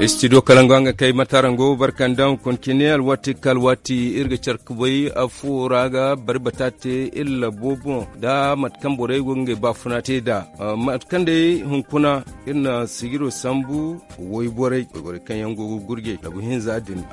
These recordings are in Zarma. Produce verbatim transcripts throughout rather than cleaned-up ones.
Studio kalango nga kay matarango barkandaŋ kontiniyal waati kal waati iri ga care kubay afo ra ga bari bata te iri labo boŋ da mate kaŋ borey go ga ngey baafuna te nd'a. Mate kaŋ day hunkuna iri na sijiro sambu wayborey wayborey kaŋ yaŋ go ga gurjey labu hinza din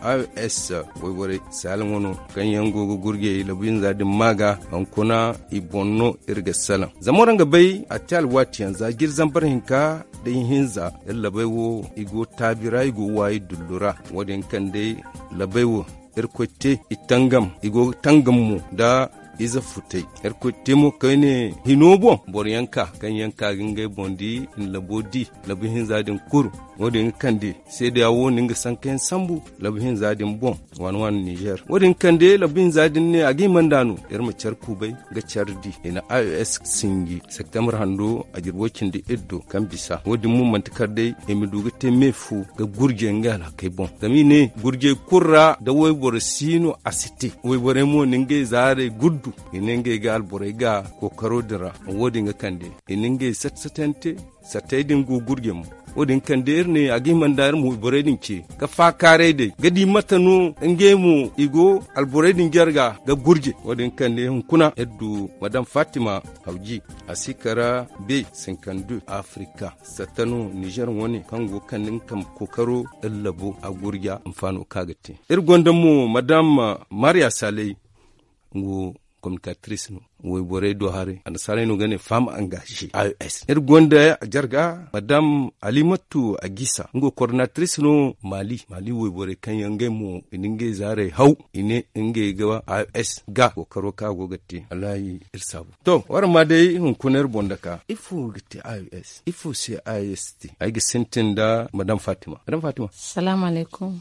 ios wayborey saalaŋo no kaŋ yaŋ go ga gurjey labu hinza din ma ga hunkuna i boŋ no iri ga salaŋ zama waraŋ ga bay a te alwaati yaŋ za jiri zambar hinka da ihinza iri labey wo i go taabi ra i go waayi dullu ra. Wo- din kaŋ day labey wo irkoy te i tangam i go ga tangam mo nda ize futay. Irkoy te mo kayne hino boŋ boro yaŋ ka kaŋ yaŋ ka ga ngey boŋ di i na labo di labu hinza din kuru. Wo- din ga kande seedeya wo no nga sanka yaŋ sambu labu hinza din boŋ waani waani nizer wo- din ga kande labu hinza din ne a ga hima nd'a no iri ma care kubay ga care di i na ios sinji septembre hando a jirbo cindi iddo kaŋ bisa wo- din mo manti kar day i ma du ga te me fu ga gurjey ngey alhakey boŋ zama i ne gurjey kulu ra da wayboro si no a si te wayborey mo na ngey zaarey guddu i ne ngey ga alborey ga kookaro din ra. Wo- din ga kande i na ngey sat satante sattey din go gurjey mo wo- din kande iri ne a ga hima nda iri mo wayborey din ce ga faakaaray day ga di mate no ngey mo i go alborey din jarga ga gurjey wo- din kande hunkuna iri du madam fatima hawji a si kara be cinquante deux afrika satta no nizer wane kaŋ go ga kande nga kambe kookaro iri labo a gurja hinfaano kaŋ a ga te. Iri gonda mo madam maria saley nga wo communicatris no wayborey do haray annasaarey no ga ne femme engagée ios iri gonda jarga madam alimatu agisa nga wo coordonatris no mali mali wayborey kaŋ yaŋ ngey mo i na ngey zaarey haw i ne ngey ga ios ga kookaro kaŋ a go ga te wallahi iri saabu to waraŋ ma day hunkuna iri boŋ dake ifo ga te ios ifo se ios te ay ga sintin nda madam fatima madam fatima salaamu alaykum.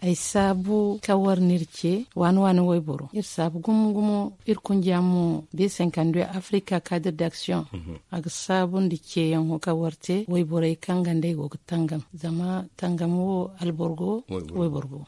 Ay saabu kaŋ war no iri ce waani waani wayboro iri saabu gumo gumo iri kunja mo beesankandu africa cadre d'action a ga saabu nda ceeyaŋo kaŋ war te wayborey kaŋ ga nd'ey go ga tangam zama tangam wo alboro go wayboro go.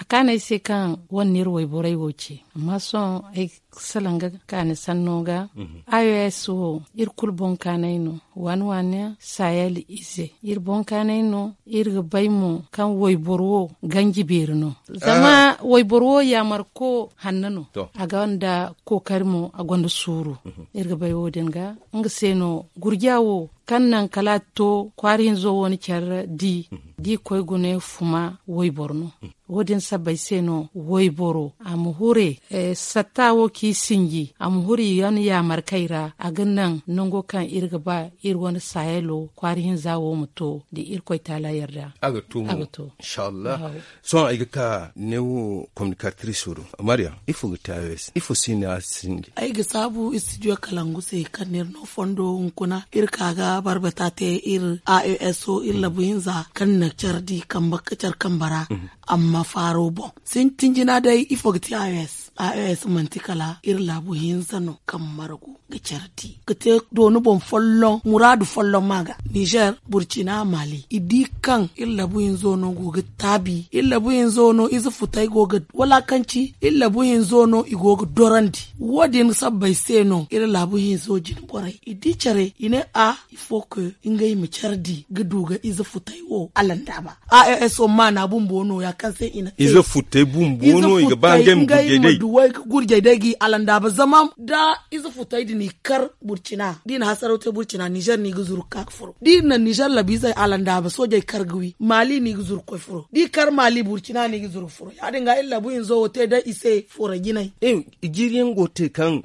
A kaanu ay se kaŋ war no iri wayborey wo ce amma sohõ ay ga salaŋ ga kaani sanno ga. Ios wo iri kulu boŋ kaanay no waani waani sahel ize iri boŋ kaanay no iri ga bay mo kaŋ wayboro wo ganji beeri no zama wayboro wo yaamarko hanno no a gonda kookari mo a gonda suuru. Iri ga bay wo- din ga nga se no gurja wo kaŋ naŋ kala a to kwaara hinzo wo ni care di da i koy gune fuma wayboro no. Wo- din sabbay se no wayboro a ma hure satta wo kaŋ i sinji a ma hure i wane yaamarkey ra a ga naŋ nango kaŋ iri ga ba iri wane sahelo kwaara hinza wo ma to da irkoy taala yarda a ga to. Sohõ ay ga ka neewo communicatris wo do maria ifo ga te ios ifo se no a sinji. Ay ga saabu studio kalangu se kaŋ no iri no fondo hunkuna iri ka ga barbata te iri ios iri labu hinza kaŋ na care di kambe ga care kambe ra. Amma faaro boŋ sintin jina day ifo ga te ios ios manti kala iri laabu hinza no kaŋ margu ga care di ga te dooni boŋ folloŋ muraadu folloŋ ma ga nizer burcina mali i di kaŋ iri laabu hinzo no go ga taabi iri laabu hinzo no ize futay go ga walakanci iri laabu hinzo no i go ga dorandi. Wo- din sabbay se no iri laabu hinzo jine borey i di care i ne a il faut que ngey ma care di ga du ga ize futay wo alandaaba. Ios wo maana bumbo no- ya kaŋ se i na te ize futay bumbo no i ga ba ngey ma gurjey day ga i alandaaba zama da ize futay din i kar burcina da i na hasaraw te burcina nizer no i ga zuru ga ka ga furo da i na nizer labiizey alandaaba soojey kar ga wi maali no i ga zuru ga koy furo da i kar maali burcina no i ga zuru ga furo ya- din ga iri laabu hinzo wo te day i se furo jinay. Jiiri yaŋ go ga te kaŋ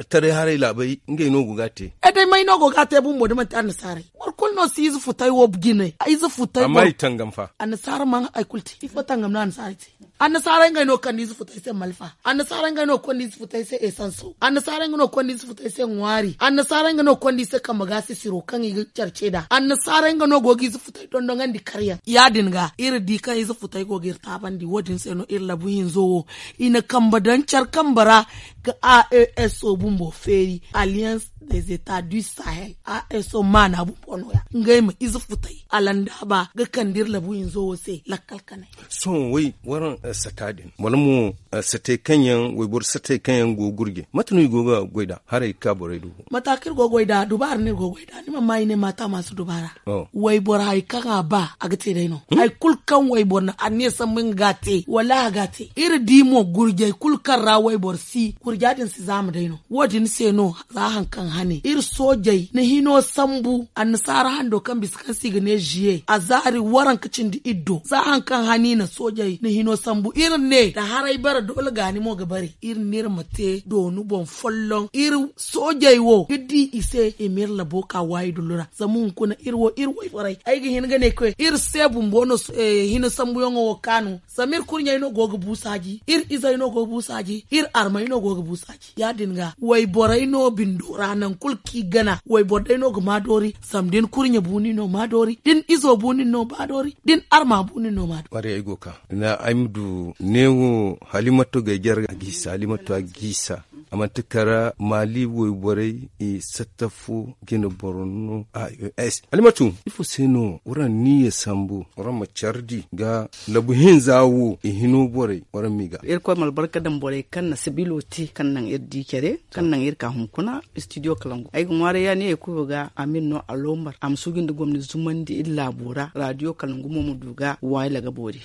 taray haray laabey ngey no go ga a te. Day may no go ga a te bumbo da manti annasaarey boro kulu no si ize futay wo jine ize futay amma i tangam fa annasaara mana hari kulu te ifo tangam no annasaarey te. Annasaarey ngey no ga kande ize futay se malfa annasaarey ngey no ga kande ize futay se esanso annasaarey ngey no ga kande ize futay se ŋwaari annasaarey ngey no ga kande i se kambe ga sisiro kaŋ i ga care ce nd'a annasaarey ngey no go ga ize futay dondonandi karyaŋ ya- din ga iri di kaŋ ize futay go ga iri taabandi wo- din se no iri labu hinzo wo i na kambe daŋ care kambe ra ga a e s o bumbo feeri alliance des etats du sahel a e s o maana bumbo no- ya ngey ma ize futay alandaaba ga kande iri labu hinzo wo se lakkal kanay. Sohõ way waraŋ sata din wala mo satey kaŋ yaŋ wayboro satey kaŋ yaŋ go ga gurje mate no i go ga goy nd'a haray ga ka borey do? Mata kaŋ iri go ga goy nd'a dubaara no iri go ga goy nd'a ni mana ma i ne maata ma si dubaara. Wayboro hari kaŋ a ba a ga te day no. Hari kulu kaŋ wayboro na anniya sambu nga ga a te wallahi a ga a te. Iri di mo gurjey kulu kaŋ ra wayboro si gurja din si zaama day no. Wo- din se no za hari kaŋ hane iri soojey na hino sambu annasaara hando kaŋ bisa kaŋ se i ga ne ziye a zaari waranka cindi iddo za hari kaŋ hane i na soojey na hino sambu iri ne nda haray bare doole gaani mo ga bare iri ne iri ma te dooni boŋ folloŋ iri soojey wo ga di i se i ma iri labo ka waayi dullu ra. Zama hunkuna iri wo iri wayborey ay ga hin ga ne koy iri se bumbo no hino sambuyaŋo wo kaanu. Zama iri kurɲey no go ga bu saaji iri izey no go ga bu saaji iri armey no go ga bu saaji ya- din ga wayborey no bindo ra nangu kulu kaŋ i gana wayboro day no ga ma doori. Zama da ni kurɲe bu nin no ma doori da ni izo bu nin no ma doori da ni arma bu nin no ma doori. Kwaray ay go ga ka ay ma du neewo halimatu gay jare a ga isa halimatu a ga isa. A manti kara maali wayborey satta fo jine boro no a s halimatu ifo se no waraŋ niiya sambu waraŋ ma care di ga labu hinza wo i hino borey waraŋ m'i ga. Irkoy ma albarka daŋ borey kaŋ na sabilo te kaŋ naŋ iri di care kaŋ naŋ iri ka hunkuna istidiyo kalangu ay ga ŋwaaray ya ne ya kulu ga a ma iri no alombar a ma suuji nda gomni zumandi iri laabo ra radiyo kalangu mo ma du ga waayila ga boori.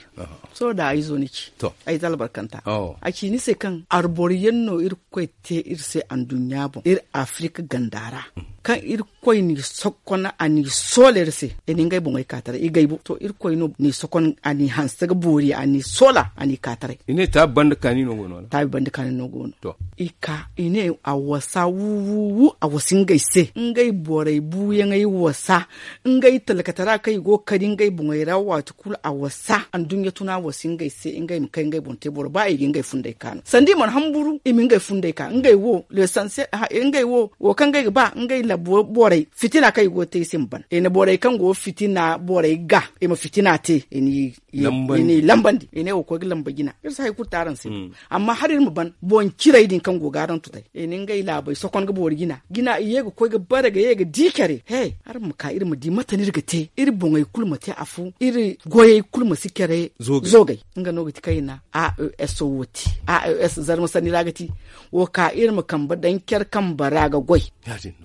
Sohõ da ay zo ni ci ay za albarkanta a ci ni se kaŋ arboro yaŋ no iri koy te iri se anduɲɲa boŋ iri afirika ganda ra kaŋ iri koy n'i sokon a n'i soola iri se i na ngey boŋey ka taray i gay bo to iri koy no n'i sokon a n'i hanse ga boori a n'i soola a n'i ka taray. I ne taabi banda kaani no go no wala taabi banda kaani no go no. I ka i ne a wasa wu wu wu a wasa ngey se ngey borey buuyaŋey wasa ngey talkatara kaŋ i go ga kari ngey boŋey ra waati kulu a wasa anduɲɲa tuna wasa ngey se ngey ma kay ngey boŋ te boro ba i ga ngey funday ka no sanda i mana hamburu i ma ngey funday ka ngey wo lesanse ngey wo wo kaŋ ngey ga ba ngey labu borey fitina kaŋ i go ga te i se ma ban i na borey kaŋ go fitina borey ga i ma fitina te i n'i lambandi i ne wo koy ga lamba jina iri si hari kulu te araŋ se. Amma hala iri ma ban boŋ ciray din kaŋ go ga araŋ tutay i na ngey laabey sokon ga boori jina jina i ye ga koy ga bare ga ye ga di care he araŋ ma ka iri ma di mate no iri ga te iri boŋey kulu ma te afo iri goyey kulu ma si care zoogay nga no ga ti kaŋ i na a e s wo te a e s zarma sanni ra ga ti wo ka iri ma kambe daŋ care kambe ra ga goy.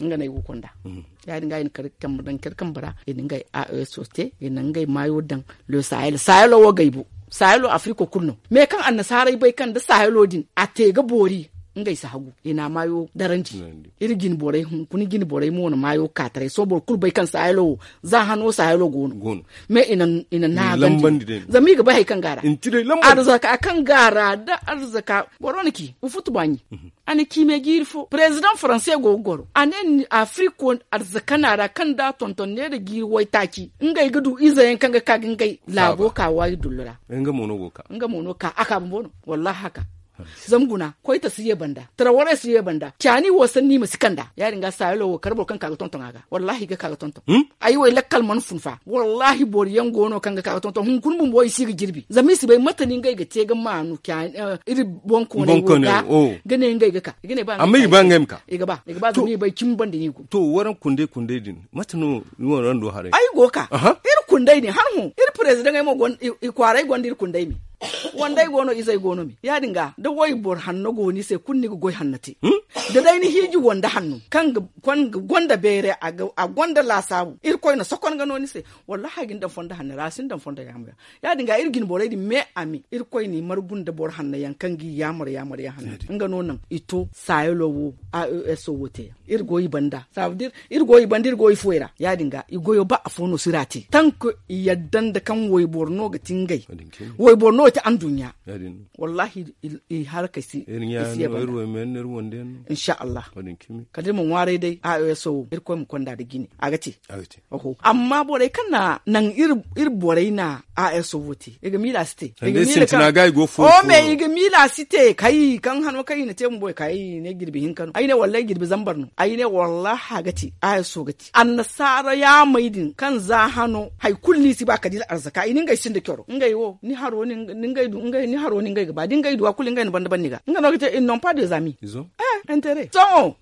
Nga no ay go ga konda ya- din ga i na kar kambe daŋ care kambe ra i na ngey a e s wo te i na ngey maayo daŋ le sahel sahelo wo gay bo sahelo afriko kulu no me kaŋ annasaarey bay kaŋ nda sahelo din a te ga boori ngey si hagu i na a maayo darandi. Iri jine borey hunkuna jine borey mo na maayo ka taray sohõ boro kulu bay kaŋ sahelo wo za hano sahelo go no me i na naagandi zama i ga bay hari kaŋ ga a ra arzaka kaŋ ga a ra da arzaka boro na ci ga futu baaɲi a na ci me jiiri fo perezidaŋ faranse go ga goro a ne afiriko arzakana ra kaŋ da a tonton neera jiiri waytaaci ngey ga du ize yaŋ kaŋ ga ka ga ngey laabo ka waayi dullu ra. Nga mo no ka a ka bumbo no wallahi haka zama guna koyta si ye banda tarawaray si ye banda caani wo sanni i ma si kanda ya- din ga saayalo wo kala boro kaŋ ka ga tonton a ga wallahi i ga ka ga tonton ay wo ay lakkal mana fun fa wallahi boro yaŋ go no kaŋ ga ka ga tonton hunkuna bumbo i si ga jirbi zama i si bay mate no ngey ga te ga maanu iri boŋkooney wo ga ga ne ngey ga ka i ga ne ba amma i ga ba ngey ma ka i ga ba i ga ba zama i bay cimi banda no i go to waraŋ kunday kunday din mate no ni wo raŋ do haray ay go ga ka iri kunday din han hõ iri perezidaŋey mo i kwaaray gonda iri kunday me wandey go no izey go no me ya- din ga da wayboro hanno go ni se kulu ni ga goy hanno te da day ni hiiji wande hanno kaŋ ga gonda beeray a gonda laasaabu irkoy na sokon ga no ni se wallahi a ga ni daŋ fondo hanno ra a si ni daŋ fondo yaamo yaŋ ya- din ga iri jine borey din me a me irkoy n'i margu nda boro hanno yaŋ kaŋ g'i yaamar yaamar yaŋ hanno nga no naŋ i to saayalo wo a e s wo te yaŋ iri go i banda saabadin iri go i banda iri go i fuwey ra ya- din ga i goyo ba afo no si ra te tank i yadda nda kaŋ wayboro no ga ti ngey wayboro no ga ti anduɲɲa wallahi i harkey si i si ye banda inshallah kala iri ma ŋwaaray day a e s wo irkoy ma konda nda jine a ga te amma borey kaŋ na naŋ iri borey na a e s wo te i ga miila si te o me i ga miila si te kay kaŋ hano kaŋ i na te bumbo i ka ay ne jirbi hinka no ay ne wallaahi jirbi zambar no ay ne wallaahi a ga te a e s wo ga te annasaara yaamey din kaŋ za hano hari kulu no i si ba kala iri arzaka i na ngey sinda coro ngey wo ni haro ni haro ni ngey ga ba da ngey duwa kulu ngey na banda ban ni ga nga no ga te il non pas des amis. Eh, intérêt sohõ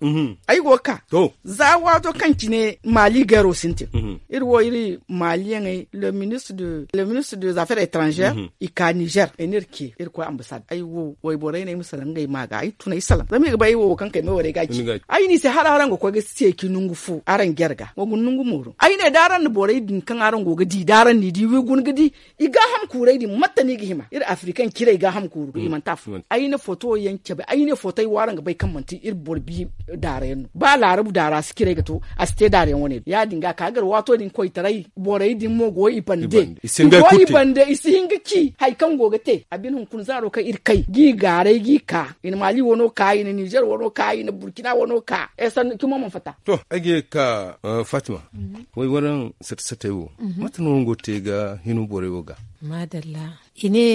ay go ga ka za waato kaŋ cine maali gayro sintin. Iri wo iri maaliyaŋey le ministre des affaires étrangères i ka nizer ay ne iri ce iri koy ambasad ay wo wayborey no ay ma salaŋ ngey ma ga ay tun ay salaŋ zama i ga bay ay wo wo kaŋ kay me warey ga ci ay n'i se hala araŋ ga koy ga seeci nangu fo araŋ jare ga wa guna nangu mooro ay ne da araŋ na borey din kaŋ araŋ go ga di da araŋ n'i di wi guna ga di i gaaham kuurey din mate no i ga hima iri afrikaŋ cirey gaaham kuuru ga i manti afo ay na foto yaŋ cabe ay ne foto ay wo araŋ ga bay kaŋ manti iri boro bi daara yaŋ no ba laarabu daara si cirey ga to a si te daara yaŋ wane din ya- din ga a ka gar waato din koytaray borey din mo go i bande i si hin ga ci hari kaŋ go ga te a bine hunkuna zaaro kaŋ iri kay g'i gaaray g'i ka i na maali wano ka i na nizer wano ka i na burkina wano ka ay sannu cimo mana fatta. To ay ga ye ga ka fatima way waraŋ sate satey wo mate no araŋ go ga te ga hino borey wo ga? Maadalla. I ne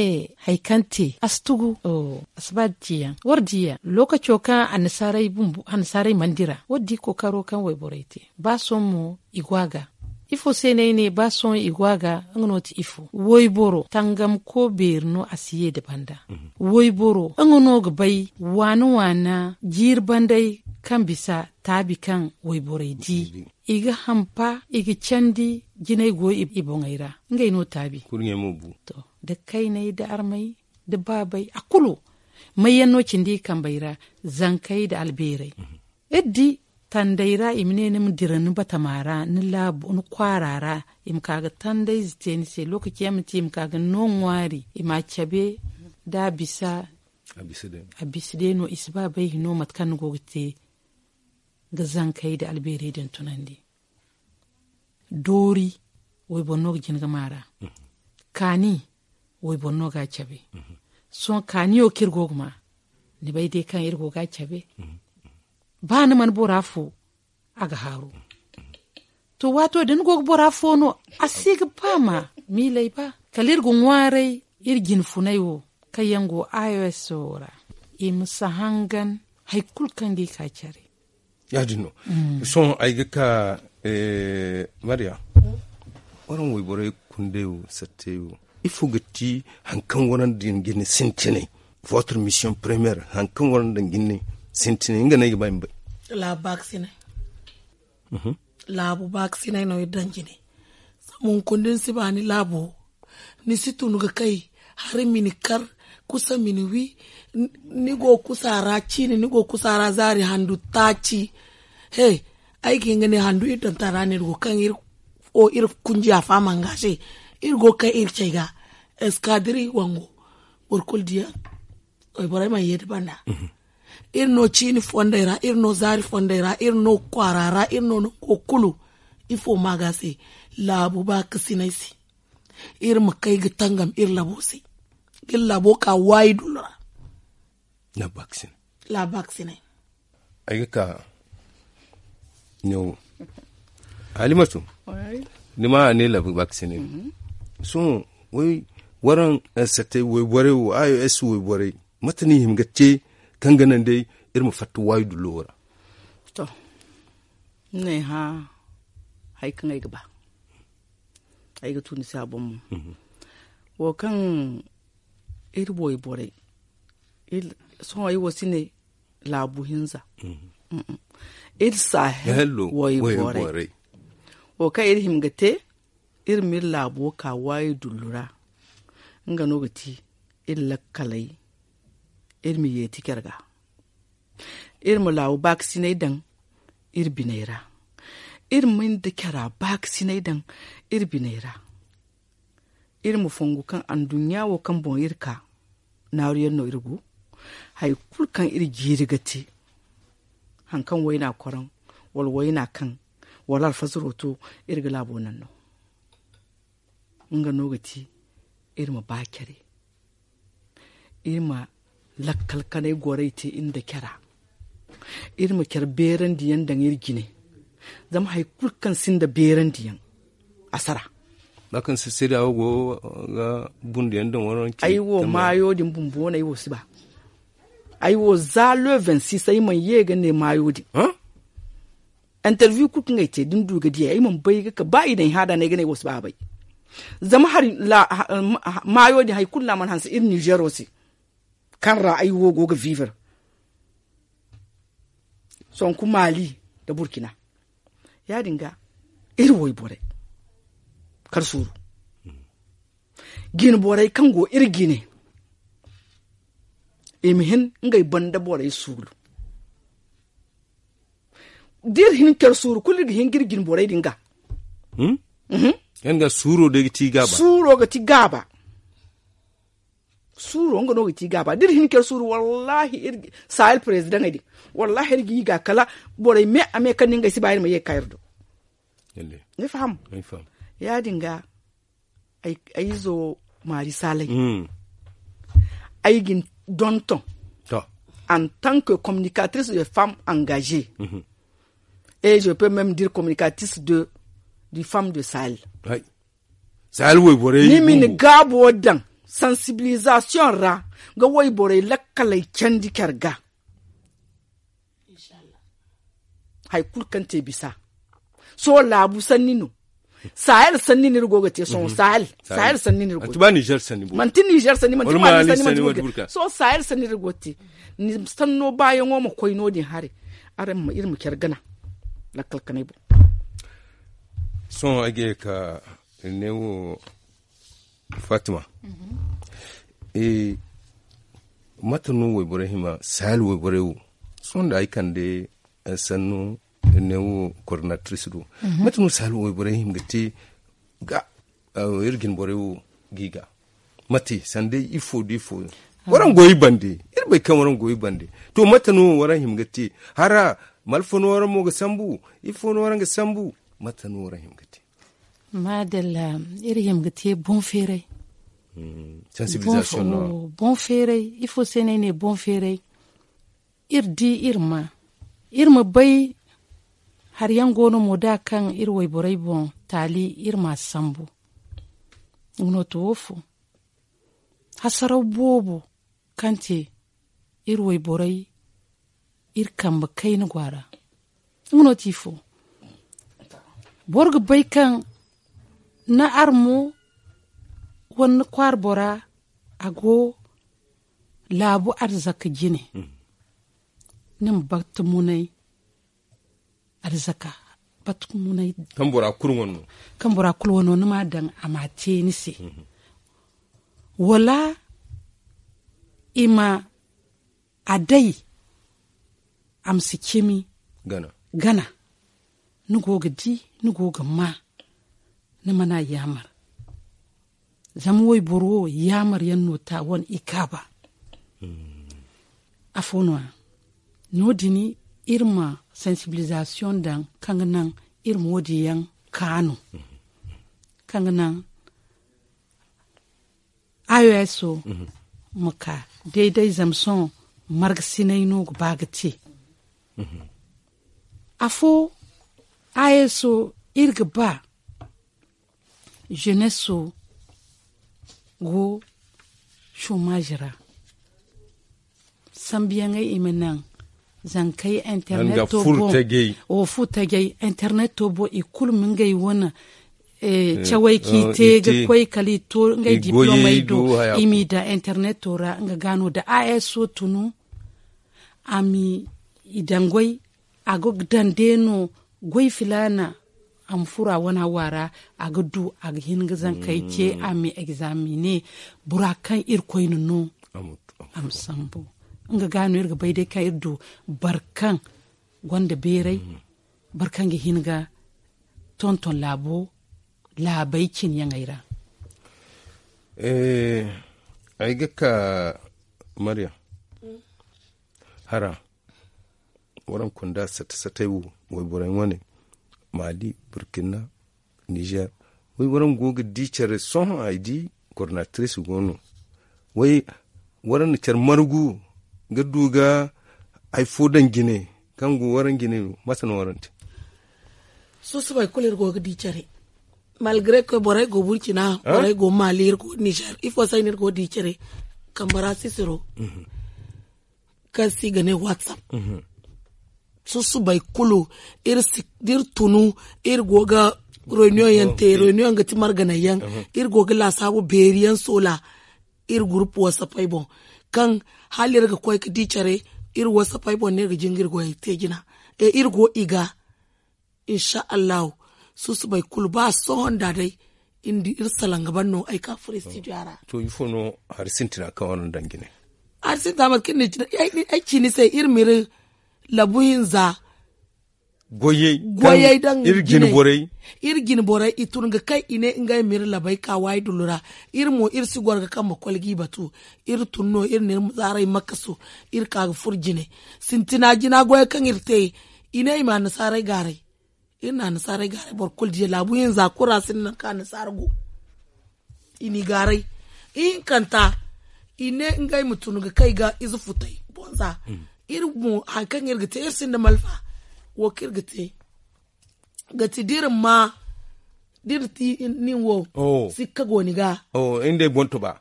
hari kaŋ te a si tugu a si ba da ciyaŋ war diya lookaco kaŋ annasaarey mana dira war di kookaro kaŋ wayborey te ba sohõ mo i go a ga. Ifo se no ay ne ba sohõ i go a ga nga no ti ifo wayboro tangamko beeri no a si ye nda banda wayboro nga no ga bay waana waana jiiri bandey kaŋ bisa taabi kaŋ wayborey di i ga hampa i ga candi jinay go i boŋey ra ngey no taabi. Da kayney da armey da baabey a kulu mayyaŋ no cindi i kambey ra zankey da albeerey iri di tandey ra i ma ne ni ma dira ni batama ra ni laabu ni kwaara ra i ma ka ga tandayze te ni se lookaci yaŋ ma te i ma ka ga ni no ŋwaari i ma a cabe da a bisa a bisa day no i si ba bay hino mate kaŋ ni go ga te ga zankey da albeerey din tunandi doori wayboro no ga jin ga maara kaani wayboro no ga a cabe sohõ kaaniyo kaŋ iri go ga ma ni bay day kaŋ iri go ga a cabe ba ni mana bora fo a ga haaru to waato da ni go ga bora fo no a si ga ba ma miilay ba kala iri ga ŋwaaray iri jinfunay wo kaŋ yaŋ go ios wo ra i ma si hangan hari kulu kaŋ ga i ka care ya- din no sohõ ay ga ka mariya waraŋ wayborey kundey wo sattey wo ifo ga ti hari kaŋ waraŋ din ga ni sintinay votre mission première hari kaŋ waraŋ din ga ni sintinay nga no ay ga ba ay ma bay laabu ba ga sinay laabu ba ga sinay no iri daŋ jine zama hunkuna da ni si ba ni laabo ni si tun ga kay hari ma ni kar kusa ma ni wi ni go kusa ra ciine ni go kusa ra zaari handu taaci he ay ga hin ga ne handu iri daŋ tara no iri go kaŋ iri kunjiya faama nga se iri go ga kay iri cay ga eskadiri wango boro kulu diya wayborey mana ye nda banda iri no ciini fondey ra iri no zaari fondey ra iri no kwaara ra iri no nango kulu ifo maaga se laabu baakasiney se iri ma kay ga tangam iri labo se ga iri labo ka waayi dullu ra laabu baakasiney ay ga ka ɲawo halimatu ni ma a ne laabu baakasiney sohõ waraŋ satey wayborey wo ios wayborey mate no i hima ga te kaŋ ga naŋ day iri ma fatta waayi dullo wo ra to ni n'ay hã hari kaŋ ay ga ba ay ga tu ni se a boŋ mo wo kaŋ iri wayborey sohõ ay wo si ne laabu hinza iri sahel wayborey wo kaŋ iri hima ga te iri ma iri laabo ka waayi dullu ra nga no ga ti iri lakkaley iri ma yeeti care ga iri ma laabu baakasinay daŋ iri biney ra iri ma nda cara baakasinay daŋ iri biney ra iri ma fongu kaŋ anduɲɲa wo kaŋ boŋ iri ka naaru yaŋ no iri go hari kulu kaŋ iri jiiri ga te hari kaŋ wayna koraŋ wala wayna kaŋ wala alfazaro to iri ga laabo naŋ no nga no ga ti iri ma ba care iri ma lakkal kanay gorey te iri nda cara iri ma care beerandiyaŋ daŋ iri jine zama hari kulu kaŋ sinda beerandiyaŋ a sara ba kaŋ se seeda wo go ga bundiyaŋ daŋ wano ay wo maayo din bumbo no ay wo si ba ay wo za le vingt-six ay mana ye ga ne maayo din interview kulu kaŋ ay te da ni du ga di ay ay mana bay ga ka ba i daŋ hada no ay ga ne ay wo si ba a bay Zama hari maayo din hari kulu no a mana hanse iri nizeero se, kaŋ ra ay wo go ga viivar, sonku maali nda burkina. Ya- din ga iri wayborey kar suuru, jine borey kaŋ go iri jine, i ma hin ngey banda borey suuru. Da iri hin care suuru kulu iri ga hin ga iri jine borey din ga. Yaŋ ga suuro day ga ti gaaba. Suuro ga ti gaaba. Suuro nga no ga ti gaaba da iri hin care suuru wallahi iri sahel prezidaŋey din, wallahi iri ga i ga kala borey me a me kaŋ ni ngey si ba iri ma ye ga ka iri do. Ni faham? Ya- din ga ay izo maari saalay, ay ga ni donton en tant que communicatris de femme engagee, et je peux même dire communicatris de du femme de sahel. Ni ma ni gaabo daŋ sansibilizasiyoŋ ra ga wayborey lakkaley candi care ga. Hari kulu kaŋ te bisa sohõ laabu sanni no. Sahel sanni no iri go ga te sohõ sahel. Sahel sanni no iri go ga te manti nizer sanni manti maali sanni manti burkina sohõ sahel sanni no iri go ga te. Ni sanno baayaŋo ma koy no- din haray. Araŋ ma iri ma care gana lakkal kanay boŋ. Sohõ ay ga ye ka ne wo fatima, mate no wayborey hima sahel wayborey wo? Sohõ da ay kande sannu ne wo coordinatrice do, mate no sahel wayborey hima ga te ga iri jine borey wo ga i ga mate sanda ifo da ifo? Waraŋ go i bande, iri bay kaŋ waraŋ go i bande. To mate no waraŋ hima ga te? Hara malfa no waraŋ mo ga sambu? Ifo no waraŋ ga sambu? Mate no waraŋ hima ga te? Maadalla, iri hima ga te boŋ feeray. Boŋ feeray ifo se no ay ne boŋ feeray? Iri di iri ma iri ma bay hari yaŋ go no mo da kaŋ iri wayborey boŋ taali iri ma a sambu. Nga no to wo fo hasaraw boobo kaŋ te iri wayborey iri kambe kayna go a ra. Nga no ti ifo? Boro ga bay kaŋ ni armo wala ni kwaara bora a go laabu arzaka jine. Ni ma bata munay arzaka bata munay kaŋ bora kulu wano ni ma a daŋ a ma a te ni se. Wala i ma a day a ma si cimi gana. Ni go ga di ni go ga ma ni mana yaamar. Zama wayboro wo yaamar yaŋ no ta wane i kaaba. Afo no- ya no- din iri ma sansibilizasiyoŋ daŋ kaŋ ga naŋ iri ma wo- din yaŋ kaanu kaŋ ga naŋ ayo ya so ma ka day-day zama sohõ margasinay no ga ba ga te. Afo ayo so iri ga ba zeneso go somazi ra sambuyaŋey i ma naŋ zankey interneto boŋ wo fu tajay interneto boŋ i kulu ma ngey wane cawey kaŋ i te ga koy kala i to ngey diplomey do i m'i daŋ interneto ra nga ga no da a s o tunu a m'i daŋ goy a ga daŋ day no goy filaana a ma furo a wane hawa ra a ga du a ga hin ga zankey ce a ma egzamine bora kaŋ irkoy na no a ma sambu nga ga no iri ga bay day kaŋ iri du boro kaŋ gonda beeray boro kaŋ ga hin ga tonton laabo laabey cinyaŋey ra. Ay ga ka maryam hara waraŋ kunda sata satay wo wayborey wane mali burkina nizer wayborey go ga di care sohõ ay di coordinatrice go no way waraŋ na care margu ga du ga hari fo daŋ jine kaŋ go waraŋ jine no mate no waraŋ te? Susubay kulu iri go ga di care malgre que borey go burkina borey go mali iri go nizer ifo se ay no iri go ga di care kambe ra sisiro kaŋ se i ga ne whatsapp susubay kulu iri si da iri tunu iri go ga Reunion yaŋ te, reunion ga ti marganay yaŋ. Iri go ga laasaabu beeri yaŋ soola iri gurupu wasapey boŋ, kaŋ hala iri ga koy ga di care iri wasapey boŋ no iri ga jingir goyey te jina. Iri go i ga, insa allahu, susubay kulu ba sohõ nda day iri salaŋ ga ban no ay ka furo istidiyo ra. To ifo no hari sintina kaŋ waraŋ daŋ jine? Hari sintina mate kaŋ ni ci ay ci ni se iri ma iri labu hinza goyey daŋ iri jine. Iri jine borey i tun ga kay i ne ngey ma iri labay ka waayi dullu ra. Iri mo iri si goro ga kambe kole g'i batu. Iri tun no iri na iri zaaray makasu. Iri ka ga furo jine sintina jina goyey kaŋ iri te. I ne i ma annasaarey gaaray. Iri na annasaarey gaaray boro kulu diya laabu hinza kulu ra sinda nangu kaŋ annasaara go. I n'i gaaray ihinkanta. I ne ngey ma tun ga kay ga ize futay bonza. Iri mo hari kaŋ iri ga te iri sinda malfa. Wo kaŋ iri ga te ga ti da iri ma da iri ti nin wo sikka go ni ga.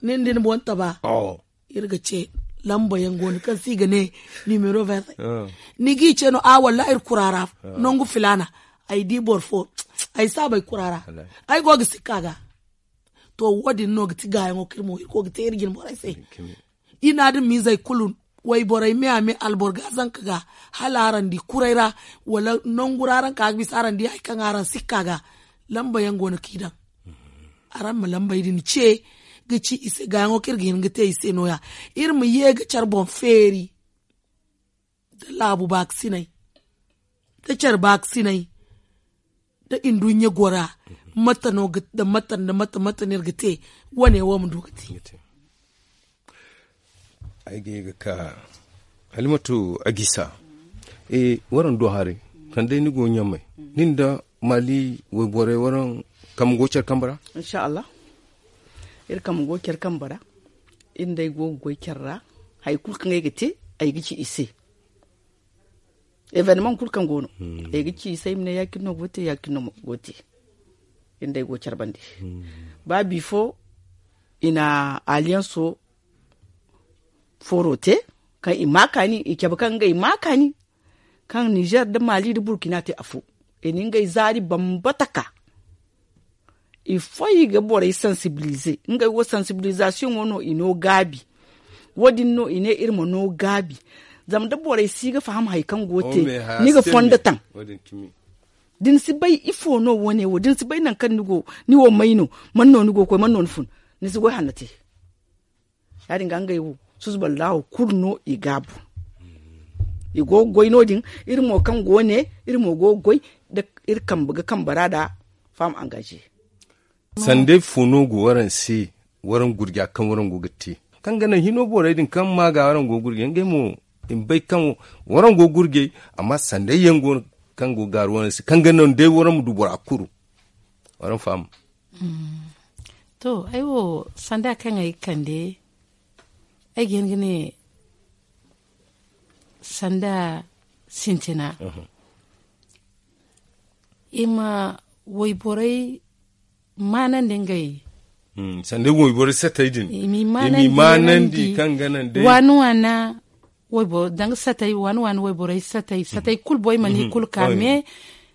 Nin da ni boŋ taba. Iri ga ce lamba yaŋ go no kaŋ se i ga ne nimero verde. Ni g'i ce no a wallaahi iri kura ra nangu filaana. Ay di boro fo ay si a bay kura ra. Ay go ga sikka ga. To wo- din no ga ti gaayaŋo kaŋ iri mo iri go ga te iri jine borey se. I na adamiizey kulu wayborey me a me alboro ga zanka ga hala araŋ di kuray ra wala nangu ra araŋ ka ga bisa araŋ di hari kaŋ araŋ sikka ga. Lamba yaŋ go no kaŋ i daŋ. Araŋ ma lambey din ce ga ci i se gaayaŋo kaŋ iri ga hin ga te i se no- ya. Iri ma ye ga care boŋ feeri da laabu baakasinay da care baakasinay da nduɲɲa gora. Mate no ga da mate nda mate mate no iri ga te wane wo ma du ga te. Ay ga ye ga ka halimatu agisa. Waraŋ do haray kaŋ day ni go ɲamay nin da maali wayborey waraŋ kambe go care kambe ra? Insa allah. Iri kambe go care kambe ra. Iri nda ay go ga goy care ra. Hari kulu kaŋ ay ga te ay ga ci i se. Evenemaŋ kulu kaŋ go no ay ga ci i se ay ma ne ya- cine no go ga te ya- cine no go ga te. Iri nda ay go care bande. Ba bifo i na aliyanso fooro te kaŋ i ma kaani i cabe kaŋ ngey ma kaani kaŋ nizer nda maali nda burkina te afo. I na ngey zaari bambata ka i foy ga borey sansibilize. Ngey wo sansibilizasiyoŋo no i no gaabi. Wo- din no i ne iri ma no gaabi. Zama da borey si ga faham hari kaŋ go te ni ga fondo taŋ. Da ni si bay ifo no wo- ne wo da ni si bay nangu kaŋ ni wo may no man no ni go ga koy man no ni fun. Ni si goy hanno te. Ya- din ga ngey wo susuballahu kulu no i gaabu. I go ga goy no- din iri mo kaŋ go ne iri mo go ga goy da iri kambe ga kambe ra da faham angaze. Sanday fo no go waraŋ se waraŋ gurja kaŋ waraŋ go ga te kaŋ ga naŋ hino borey din kaŋ ma ga waraŋ go gurja ngey mo i ma bay kaŋ waraŋ go gurjay. Amma sanday yaŋ go no kaŋ go gaaru waraŋ se kaŋ ga naŋ day waraŋ ma du bora kuru. Waraŋ faham. To ay wo sanda kaŋ ay ga kande ay ga hin ga ne sanda sintina i ma wayborey maanandi ngey. Sanda wayborey satey din i m'i maanandi kaŋ ga naŋ day waani waana wayboro danga satey waani waana wayborey satey satey kulu boy mana i kulu ka mais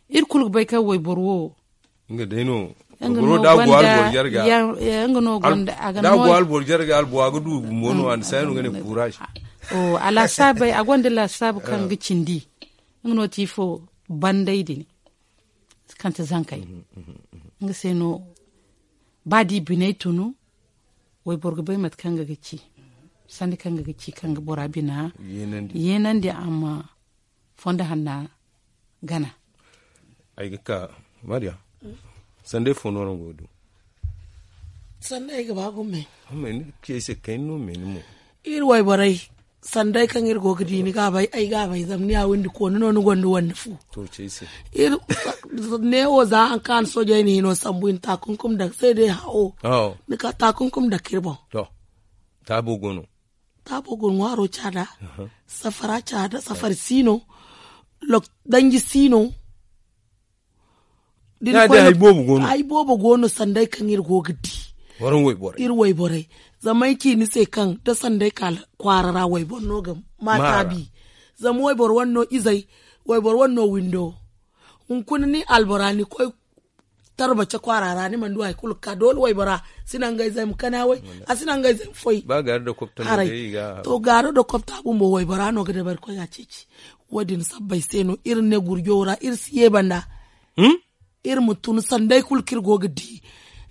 iri kulu ga bay kaŋ wayboro wo nga day no. Nga no gonda ya- nga no gonda a ga da go albor jarga albo a ga du bumbo no anda sai no ga ne courage. O a lasaabey a gonda lasaabu kaŋ ga cindi nga no ti fo banday din kante zankey. Nga se no ba di biney tunu wayboro ga bay mate kaŋ ga ga ci sanda kaŋ ga ga ci kaŋ ga bora bina yeenandi a ma fondo hanna gana. Ay ga ka mariya sanday fo no no go du. Sanday ay ga ba gumo me amma ni ga kiyay se kay no me ni mo iri wayborey sanday kaŋ iri go ga di ni ga bay ay ga bay zama ni ya windi kooni no ni gonda wanda fu. Iri ne wo za han kaŋ a na soojey ni hino sambu i na takunkum daŋ se day hawo ni ka takunkum daŋ ka iri boŋ. Taabo go no taabo go no ŋwaaro caada safara caada safari siino danji siino. Hay boobo go no sanday kaŋ iri go ga di iri wayborey zama ay ci ni se kaŋ da sanday ka kwaara ra wayboro no ga ma taabi. Zama wayboro wane no izey wayboro wane no windo hunkuna ni albora ni koy tarbace kwaara ra ni mana du hari kulu ga ka doole waybora si naŋ ga ay zay ma kana way. A si naŋ ga ay zay ma foy. Haray to gaaro da kopta bumbo waybora no ga dabari koy a ceeci. Wo- din sabbay se no iri ne gurjo ra iri si ye banda. Iri ma tun sanday kulu kaŋ iri go ga di.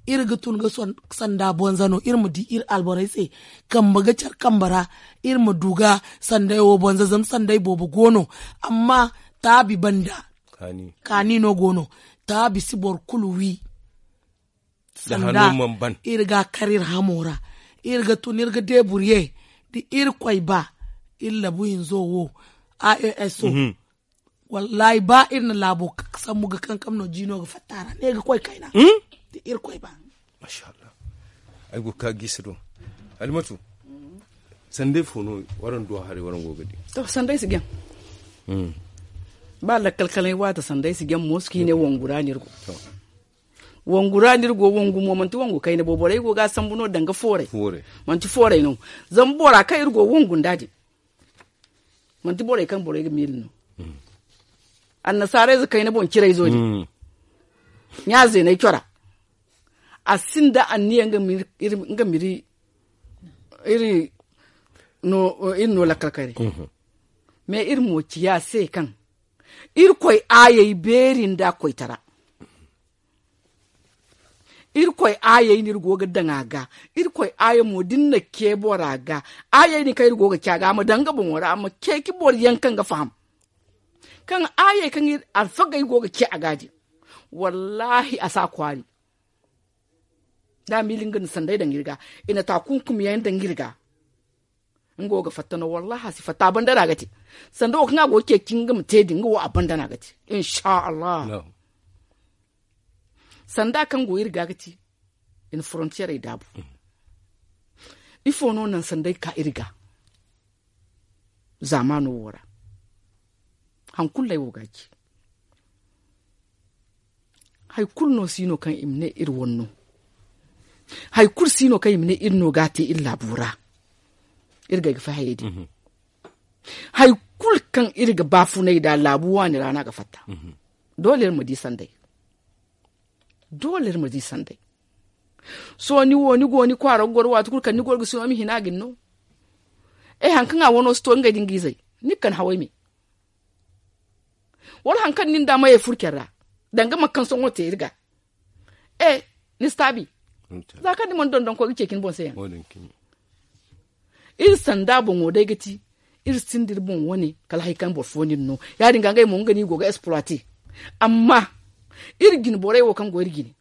Iri ga tun ga sanda bonza no iri ma di iri alborey se. Kambe ga care kambe ra iri ma du ga sanday wo bonza zama sanday boobo go no. Amma taabi banda kaani no go no. Taabi si boro kulu wi. Sanda iri ga a kar iri hamo ra. Iri ga tun iri ga deeburye da irkoy ba. Iri labu hinzo wo a e s o. Wallaahi ba iri na laabo sambu ga kankam no jiino ga fatta ra ne ga koy kayna. Da irkoy ba. Masha allah. Ay go ga ka giisi do. Alimatu, sanday fo no waraŋ du a haray waraŋ go ga di? To sanday si jaŋ. Ba lakkal kala ay waati sanday si jaŋ mo si ka i ne wangu ra no iri go. Wangu ra no iri go wangu mo manti wangu kayna bo borey go ga a sambu no danga fooray. Manti fooray no. Zama bora kaŋ iri go wangu nda din manti borey kaŋ borey ga miila no. Annasaarayze kayna boŋ cirayzo din ɲa zeenay cora. A sinda anniya nga miri iri no lakkal kayray. Mais iri mo ciya se kaŋ irkoy aayey beeri nda koytara. Irkoy aayey no iri go ga daŋ a ga. Irkoy aaya mo da ni na ce bora ga aayey din kaŋ iri go ga ce a ga a ma daŋ nga boŋo ra a ma ceeci boro yaŋ kaŋ ga faham. Kaŋ aayey kaŋ alfagey go ga ce a ga din wallaahi a si a kwaari. Da a miila nga na sanday daŋ iri ga i na ta kunkum yaŋ daŋ iri ga. Nga wo ga fatta no wallaahi a si fatta a banda no a ga te. Sanda wo kaŋ a go ga ceeci nga ma te din nga wo a banda no a ga te. Insha allah. Sanda kaŋ go iri ga ga ti i na forontiyerey daabu. Ifo no naŋ sanday ka iri ga zaamaano wo ra? Hari kulu no ay wo ga a ci. Hari kulu no si no kaŋ i ma ne iri wane no. Hari kulu si no kaŋ i ma ne iri no ga a te iri laabo ra. Iri ga ay ga fay hayey din. Hari kulu kaŋ iri ga baafunay nd'a laabu waani ra no a ga fatta. Doole iri ma di sanday. Doole iri ma di sanday. Sohõ ni wo ni go ni kwaara ga goro waati kulu kala ni goro ga sino ma hina a ga ni no. E hari kaŋ a wano si to ngey da nga izey ni ga kande haway me. Wala hari kaŋ ni nda mayey furo care ra danga mate kaŋ sohõ te iri ga. E ni si taabi. Za kaŋ ni mana dondon koy ga ceeci ni boŋ se yaŋ. Iri sanda boŋo day ga ti iri sinda iri boŋ wane kala hari kaŋ boro fo no iri no. Ya- din ga ngey mo nga no i go ga exploiter. Amma iri jine borey wo kaŋ go iri jine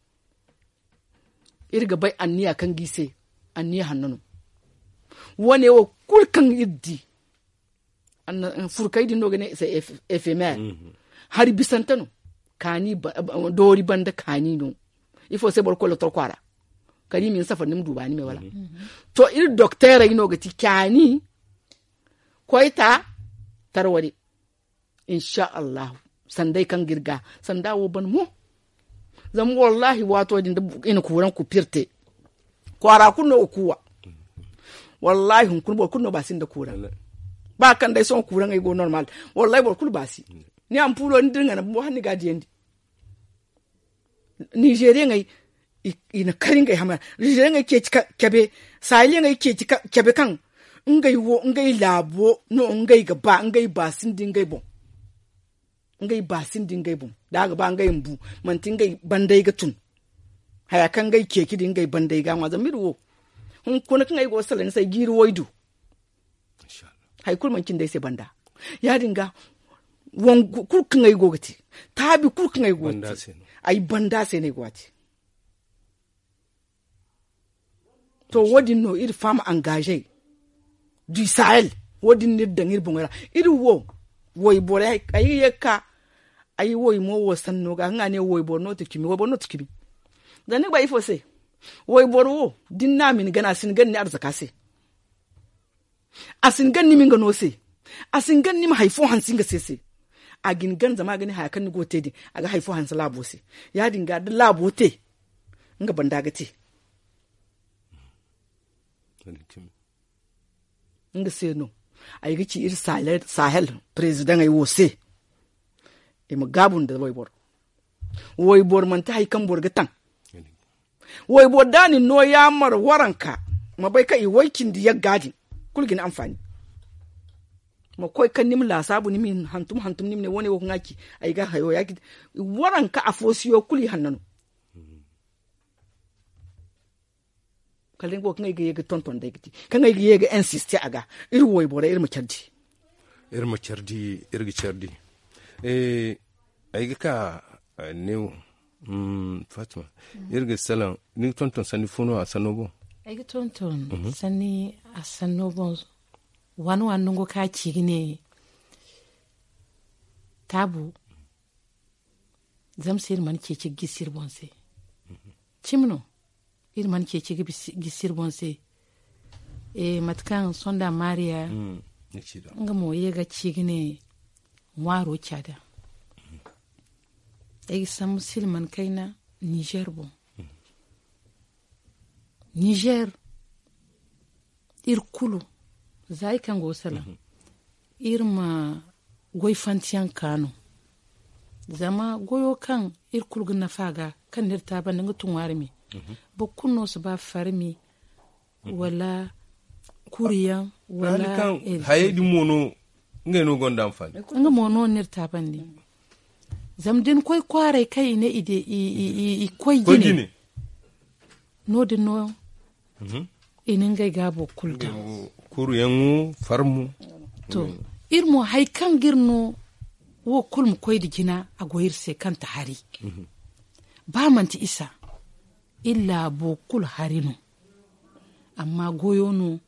iri ga bay anniya kaŋ ga i se. Anniya hanno no. Wane wo kulu kaŋ iri di furkey din no ga ne éphémère. Hari bisante no. Kaani doori banda kaani no. Ifo se boro ga koy lotor kwaara kala i ma ni safari ni ma du baani me wala? To iri dokteerey no ga ti kaani koyta tarwade. Insha allahu. Sanday kaŋ ga iri ga sanda wo ban mo. Zama wallahi waato din da i na kuuraŋ kupir te kwaara kulu no ga kuuwa. Wallahi hunkuna boro kulu no ba sinda kuuraŋ. Ba kaŋ day sohõ kuuraŋey go normal. Wallahi boro kulu ba si. Ni ampulo ni dira nga na bumbo hala ni ga a diyandi. Nizeeriyaŋey i na kar ngey hamay ra. Nizeeriyaŋey ceeci cabe. Sahilyaŋey i ceeci cabe kaŋ ngey wo ngey laabo no ngey ga ba ngey ba sinda ngey boŋ. Ngey ba sinda ngey boŋ da a ga ba ngey ma bu manti ngey banday ga tun. Haya kaŋ ngey ceeci din ngey banday ga ŋwa zama iri wo hunkuna kaŋ ay go ga salaŋ ni se ay jiiri waydu. Hari kulu manti nda ay se banda. Ya- din ga wangu kulu kaŋ ay go ga te taabi kulu kaŋ ay go ga te ay banda se no ay go ga te. To wo- din no iri femme engagée du sahel. Wo- din no iri daŋ iri boŋey ra. Iri wo wayborey ay ga ye ga ka ay way mo wo sanno ga kaŋ a ne wayboro no ti cimi wayboro no ti cimi. Zama ni ga ba ifo se wayboro wo da ni na a ma ni gana a si ni gana ni arzaka se. A si ni gana ni ma nga no se. A si ni gana ni ma hari fo hanse nga se se. A ga ni gana zama a ga ne haya kaŋ ni go ga te din a ga hari fo hanse laabo se. Ya- din ga da laabo te nga banda ga te. Nga se no ay ga ci iri sahel prezidaŋey wo se i ma gaabu nda wayboro. Wayboro manti hari kaŋ boro ga taŋ. Wayboro da a na ni no yaamar waranka, ma bay kaŋ i way cindi yagga din. Kulu ga ni anfaani. Ma koy kaŋ ni ma laasaabu ni ma hantum hantum ni ma ne wane wo kaŋ a ci. Ay ga hayo ya- waranka afo siyo kulu i hanna no. Kala ni go kaŋ ay ga ye ga tonton day ga ti kaŋ ay ga ye ga insiste a ga. Iri wo ay borey iri ma care di. Iri ma care di. Iri ga care di. Ay ga ka neewo. Fatima, iri ga salaŋ. Ni ga tonton sanni fo no a sanno boŋ? Ay ga tonton sanni a sanno boŋ. Waani waani nango kaŋ a ci ga ne taabu. Zama se iri mana ceeci ga gisi iri boŋ se. Cimi no. Iri mana ceeci ga gisi iri boŋ se. Mate kaŋ sonda maariya nga mo ye ga ci ga ne ŋwaaro caada. Ay ga sambu silman kayna nizer boŋ. Nizer iri kulu za iri kaŋ go ga salaŋ iri ma goy fantiyaŋ ka no. Zama goyo kaŋ iri kulu ga nafa ga kaŋ no iri taabandi nga tun ŋwaari me. Boro kulu no si ba farmi wala kuriyaŋ wala hayey din mo no. Ngey no gonda anfaani. Nga mo no no iri taabandi. Zama da ni koy kwaaray kaŋ i ne i koy jine. No- din no i na ngey gaabo kulu daŋ. Kuruyaŋo farmo. To, iri mo hari kaŋ ga iri no wo kulu ma koy nda jina a go iri se kaŋ ta hari. Ba manti isa iri laabo kulu hari no. Amma goyo no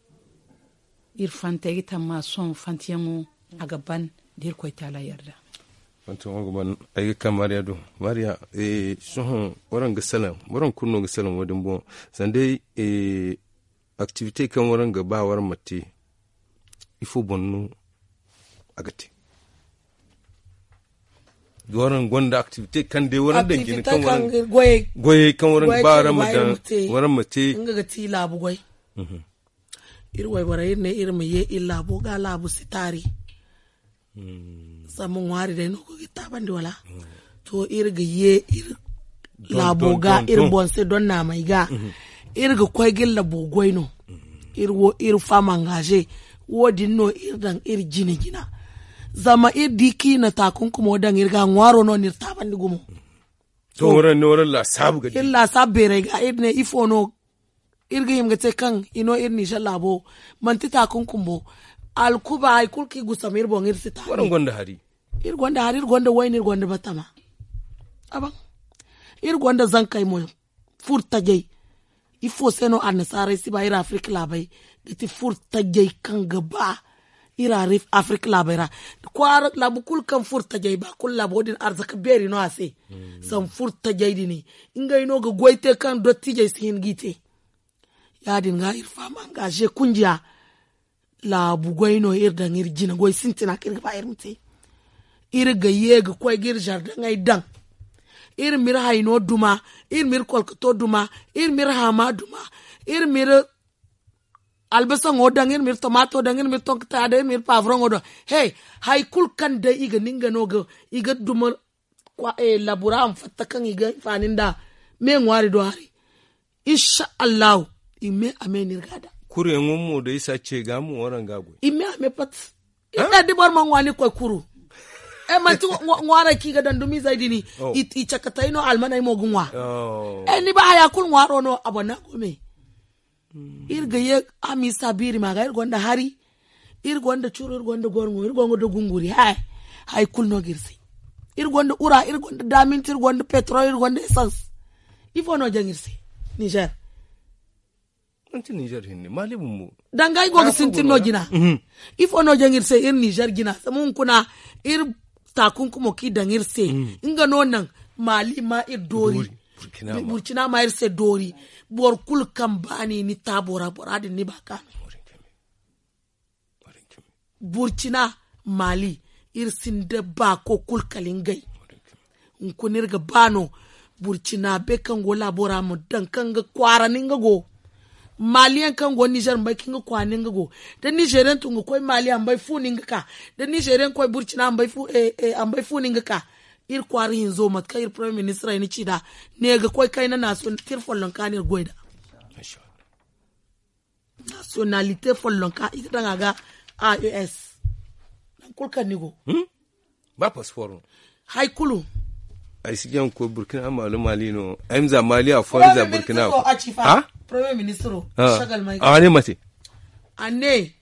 iri fanta ay ga tamma sohõ fantiyaŋo a ga ban da irkoy taala yarda. Fantiyaŋo ga ban. Ay ga ka maariya do maariya. Sohõ waraŋ ga salaŋ waraŋ kulu no ga salaŋ wo- din boŋ. Sanda day aktivite kaŋ waraŋ ga ba waraŋ ma te ifo boŋ no a ga te? Waraŋ gonda aktivite kaŋ day waraŋ daŋ jine kaŋ waraŋ goyey kaŋ waraŋ ga ba waraŋ ma daŋ waraŋ ma te. Nga ga ti laabu goy. Iri wayborey iri ne iri ma ye iri laabo ga laabu si taari. Zama ŋwaari day no ga taabandi wala? To iri ga ye iri laabo ga iri boŋ se don naamey ga. Iri ga koy ga iri labo goy no. Iri wo iri faama angaze. Wo- din no iri daŋ iri jine jina. Zama iri di kaŋ i na taakunkumo daŋ iri ga ŋwaaro no no iri taabandi gumo. To waraŋ ne waraŋ laasaabu ga di iri laasaabu beeray ga iri ne ifo no? Iri ga hima ga te kaŋ i no iri nizer laabo manti taakunkum bo. Alkuba hari kulu kaŋ i gusam iri boŋ iri si taari. Iri gonda hari iri gonda wayna iri gonda batama. Iri gonda zankey mo furo tajey. Ifo se no annasaarey si ba iri afirka laabey ga ti furo tajey kaŋ ga ba iri afirka laabey ra. Kwaara laabu kulu kaŋ furo tajey ba kulu laabo din arzaka beeri no a se. Zama furo tajey din ngey no ga goy te kaŋ dottijey si hin g'i te. Ya- din ga iri faham angaze kunjiya. Laabu goy no iri daŋ iri jina goy sintina kaŋ iri ga ba iri ma te. Iri ga ye ga koy ga iri zardaŋey daŋ. Iri ma iri hayno duma. Iri ma iri kolkoto duma. Iri ma iri haama duma. Iri ma iri albasaŋo daŋ iri ma iri tomaato daŋ iri ma iri tonkataaya daŋ iri ma iri paaburaŋo daŋ. He hari kulu kaŋ day i ga ni nga no ga i ga duma. Labura a ma fatta kaŋ i ga hinfaani nd'a me ŋwaari do hari. Insa allahu. I me a me no iri ga a daŋ. Kuryaŋo mo da isa ce ga mo waraŋ ga a goy. I me a me pat. Iri ne da boro ma ŋwa ni koy kuru. Manti ŋwaarey kaŋ i ga daŋ dumizey din. I cakatey no almaney mo ga ŋwa. Ni ba haya kulu ŋwaaro no a boŋ no a go me. Iri ga ye a ma isa biiri ma ga iri gonda hari. Iri gonda curu iri gonda gorŋo iri gonda gunguri. Hari kulu no ga iri se. Iri gonda ura iri gonda daminti iri gonda petrol iri gonda esans. Ifo no jaŋ iri se? Nizer. Manti nizer hinne mali bumbo. Danga i go ga sintin no jina. Ifo no jaŋ iri se iri nizer jina zama hunkuna iri taakunkumo kaŋ i daŋ iri se. Nga no naŋ mali ma iri doori. Burkina ma iri se doori. Boro kulu kaŋ ba ni ni taabo ra bora din ni ba ka no. Burkina mali iri sinda baako kulu kala ngey. Hunkuna iri ga ba no burkina be kaŋ go laabo ra ma daŋ kaŋ ga kwaara ni nga go. Maliyaŋ kaŋ go nizer ma bay kaŋ ga kwaara ni nga go. Da nizeriyaŋ tun ga koy mali a ma bay fu ni nga ka. Da nizeriyaŋ koy burkina a ma bay fu ni nga ka. Iri kwaara hinzo mate kaŋ iri premier ministre ay na ci nd'a, ne ga koy kayna naasiyon tira follonka no iri goy nd'a. Naasiyonalite follonka i ga daŋ a ga. A e s. Nangu kulu kaŋ ni go. Ba pasiporo no. Hari kulu. Ay si jaŋ ga koy burkina maali maali no. Ay ma za maali afo ay ma za burkina afo. Ha? Premier ministro. A ne mate. A ne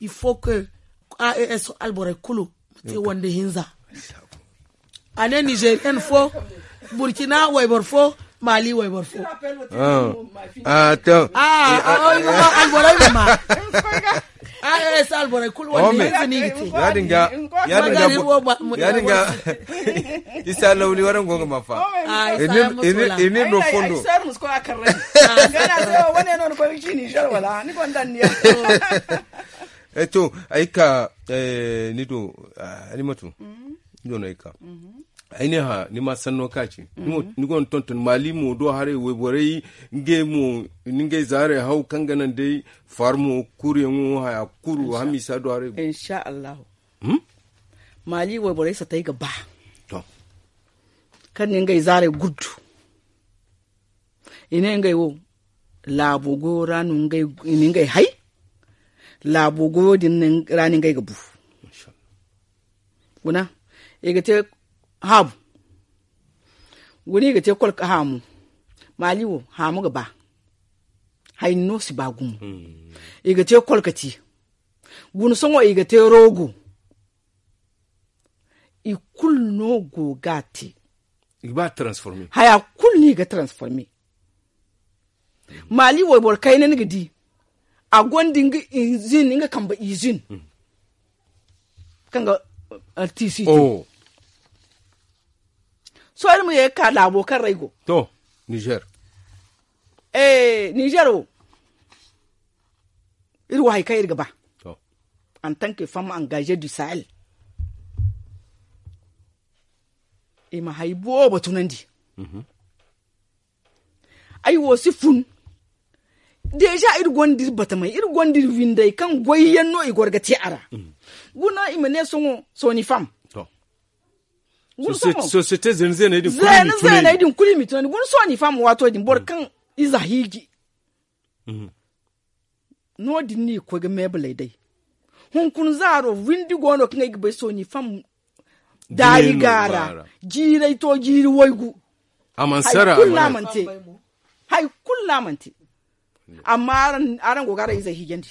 il faut que a e s alborey kulu ma te wande hinza. A ne nizeriyen fo, burkina wayboro fo, maali wayboro fo. A to. Alborey ma ma. A e s alborey kulu wande hinza no i ga te. Ya- din ga ya- din ga ya- din ga. Isa lawli warango ga ma fa. I n'iri no fondo. Gana se wo wane no ni koy ga ci nizer wala ni gonda ni ya. To ay ka ni do. Halimatu. Ni do no ay ka. Ay ne hã ni ma sanno ka ci. Ni gonda tonton maali mo do haray wayborey ngey mo ni ngey zaarey haw kaŋ ga naŋ day farmo kuryaŋo haya kuru hamisa do haray. Insha allahu. Maali wayborey satay ga ba. Kaŋ ni ngey zaarey guddu. I ne ngey wo laabo goyo ra no i na ngey hay. Laabo goyo din ra no ngey ga bu. Guna i ga te haabu. Guna i ga te kolka haamu. Maali wo haamu ga ba. Hayni no si ba gumo. I ga te kolkati. Guna sohõ i ga te roogo. I kulu no go ga a te. Haya kulu no i ga transforme. Maali wayboro kayna ni ga di. A gonda nga izin nga kambe izin. Kaŋ ga artisi te. Sohõ iri ma ye ga ka laabo kaŋ ra ay go. To nizer. Nizer wo. Iri wo hari kaŋ iri ga ba. Antanke femme engage du sahel. I ma hari boobo tunandi. Ay wo si fun. Deeza iri gonda iri batamey iri gonda iri windey kaŋ goyyaŋ no i goro ga te a ra. Guna i ma ne sohõ sooni fam. Guna sohõ soosiyete zeene zeeney din kulu i ma i tunandi guna sooni fam waato din boro kaŋ ize hiiji. No- din no i ga koy ga meebaley day. Hunkuna zaaro windi go no kaŋ ay ga bay sooni fam. Daari gaara jiiray to jiiri waygu. Hari kulu no a mana te. Hari kulu no a mana te. Amma araŋ go ga araŋ izey hiijandi.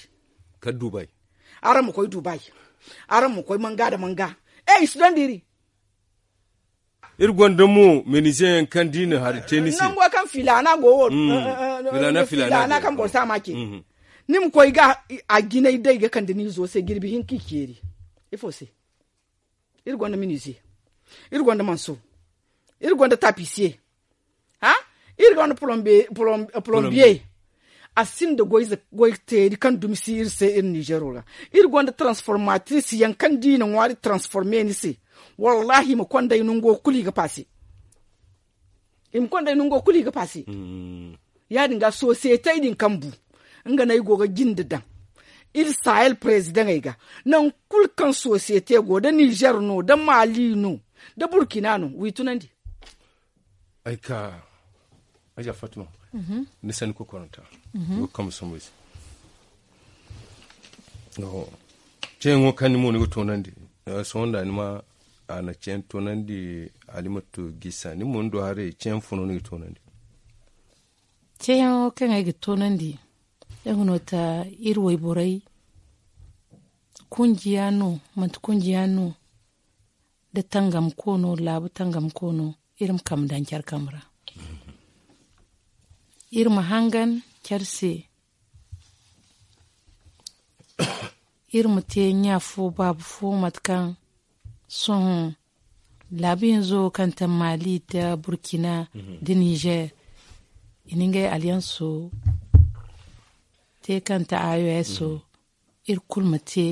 Kala dubai. Araŋ ma koy dubai. Araŋ ma koy manga nda manga. E i si donda iri. Iri gonda mo meenize yaŋ kaŋ da i na hari te ni se. Nango kaŋ filaana go wo. Filaana filaana kaŋ boro si a ma ce. Ni ma koy ga a jinay day ga kande ni izo se jirbi hinka i ceeri. Ifo se? Iri gonda meenize. Iri gonda manso. Iri gonda tapisiye. Iri gonda polombiye. A sinda goy teeri kaŋ dumi si iri se iri nizeero ra. Iri gonda transformatris yaŋ kaŋ da i na ŋwaari transforme ni se. Wallaahi i ma konday nango kulu i ga paase. I ma konday nango kulu i ga paase. Ya- din ga sosiyetey din kaŋ bu nga no ay go ga jinde daŋ. Iri sahel perezidaŋey ga nangu kulu kaŋ sosiyete go da nizer no da maali no da burkina no wi tunandi. Ay ka aja fatuma. Ni sanni kokoranta. Ni go ga kambe sambu ay se. Ceeyaŋo kaŋ ni mo ni ga toonandi. Sohõ nda ni ma a na ceeyaŋ toonandi. Halimatu gisa ni mo ni do haray ceeyaŋ fo no ni ga toonandi. Ceeyaŋo kaŋ ay ga toonandi. Ay ga no ta iri wayborey kunjiya no manti kunjiya no. Da tangam koono laabu tangam koono iri ma kambe daŋ care kambe ra. Iri ma hangan care se. Iri ma te ɲa fo baaba fo mate kaŋ sohõ laabu hinzo kaŋ ta maali da burkina da nizer. I na ngey alyanso te kaŋ ta a o s o. Iri kulu ma te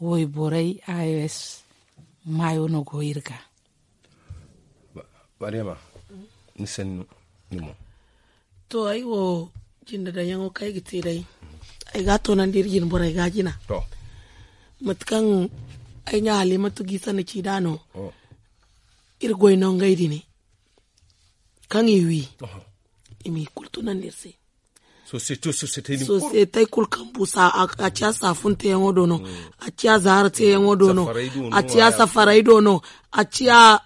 wayborey a o s maayo no go iri ga. Maryama, ni sannu ni mo. To ay wo jinde daŋyaŋo kaŋ ay ga te day. Ay ga a toonandi iri jine borey ga a jina. Mate kaŋ ay ɲa halimatu g'i sanni ci nd'a no. Iri goy no ngey din kaŋ i wi i m'i kulu tunandi iri se. Sosiyetey kulu kaŋ bu a ciya saafun teeyaŋo do no, a ciya zaara teeyaŋo do no, a ciya safaray do no, a ciya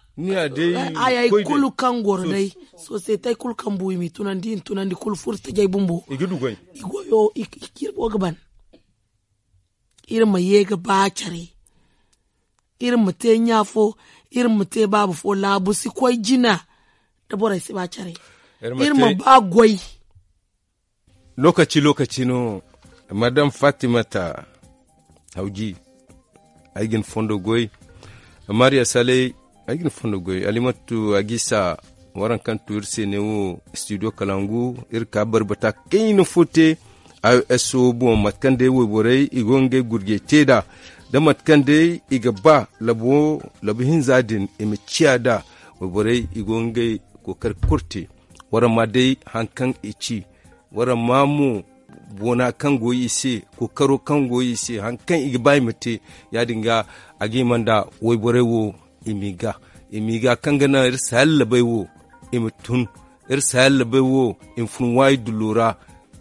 hayey kulu kaŋ goro day. Sosiyetey kulu kaŋ bu i m'i tunandi i na tunandi kulu furo tajey bumbo. I goyo i ga iri go ga ban. Iri ma ye ga ba care. Iri ma te ɲa fo, iri ma te baaba fo laabu si koy jina. Da borey si ba care. Iri ma ba goy. Lookaci lookaci no. Madam fatimata hawji, ay ga ni fondo goy. Mariya saley, ay ga ni fondo goy. Alimatu agisa, waraŋ kaŋ tu iri se ne wo, studio kalangu. Iri ka barbata kayna fo te. Ay wo s o boŋ mate kaŋ day wayborey i go ga ngey gurjey te nd'a, da mate kaŋ day i ga ba labu hinza din i ma ciya nd'a. Wayborey i go ga ngey kookari kulu te. Waraŋ ma day hari kaŋ i ci. Waraŋ ma mo boona kaŋ go i se, kookaro kaŋ go i se, hari kaŋ i ga ba i ma te. Ya- din ga a ga hima nda wayborey wo i m'i ga i m'i ga kaŋ ga naŋ iri saallabey wo i ma tun. Iri saallabey wo i ma fun waayi dullo ra.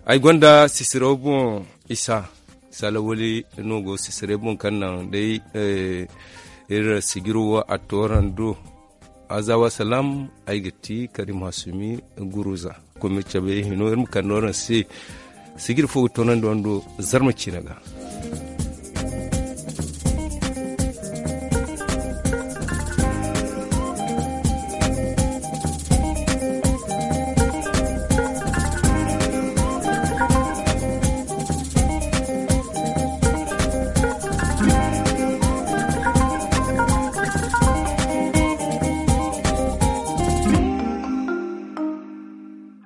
Ay gonda sisiraw boŋ isa salawali no go sisiray boŋ kaŋ naŋ day iri sijiro wo a tooran do. Azawa salam. Ay ga ti karim hasumi guruza. Komi cabe hino iri ma kande waraŋ se sijiri fo ga toonandi wando. Zarma ciina ga.